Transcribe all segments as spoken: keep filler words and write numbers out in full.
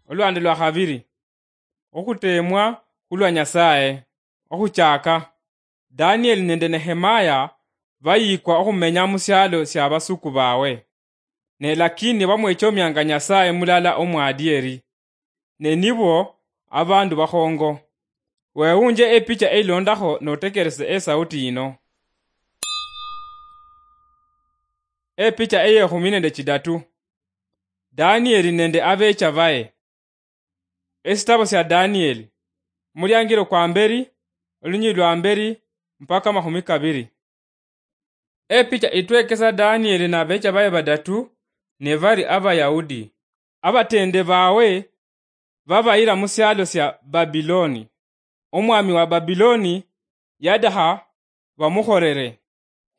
Olwande lwa khabiri, okhuteemwa khulwa Nyasaye. Okhuchaka, Danieli nende Nehemaya bayikwa okhumenya musialo sia basuku bawe, ne lakini bamwechomianga Nyasaye mulala omwadieri, ne nibo abandu bakhongo. Wewunje epicha eilondakho notekerese esauti yino. Epicha eyekhumi nende chidatu. Danieli nende abecha baye. Esitabo sya Danieli, muliangiro kwa mberi, olunyili lwa mberi mpaka makhumi kabiri. Epicha itwekesa Danieli nabecha baye badatu, ne bari Abayahudi. Abatende bawe babayira musialo sya Babiloni. Omwami wa Babiloni yadaha bamukhorere.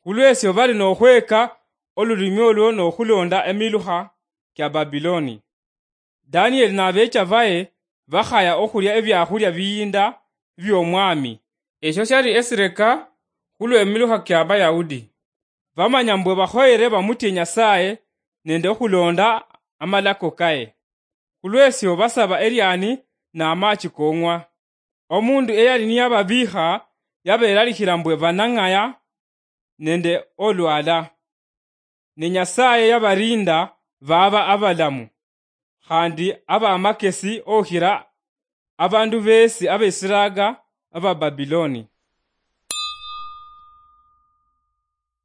Khulwesyo bali nokhweka olulimi olwo nokhulonda emilukha kya Babiloni. Danieli nabecha baye bakhaya okhulya ebiakhulia biyinda byomwami. Esyo syali esireka khulwemilukha kya Bayahudi. Bamanya mbwe bakhoyere bamutye Nyasaye nende okhulonda amalako kaye. Khulwesyo basaba eriani namachi kong'wa. Omundu eyali niyababiikha yaberalikhira mbwe banang'aya nende olwala. Ne Nyasaye yabarinda baba abalamu, khandi abamakesi okhira abandu besi abesiraga aba Babiloni.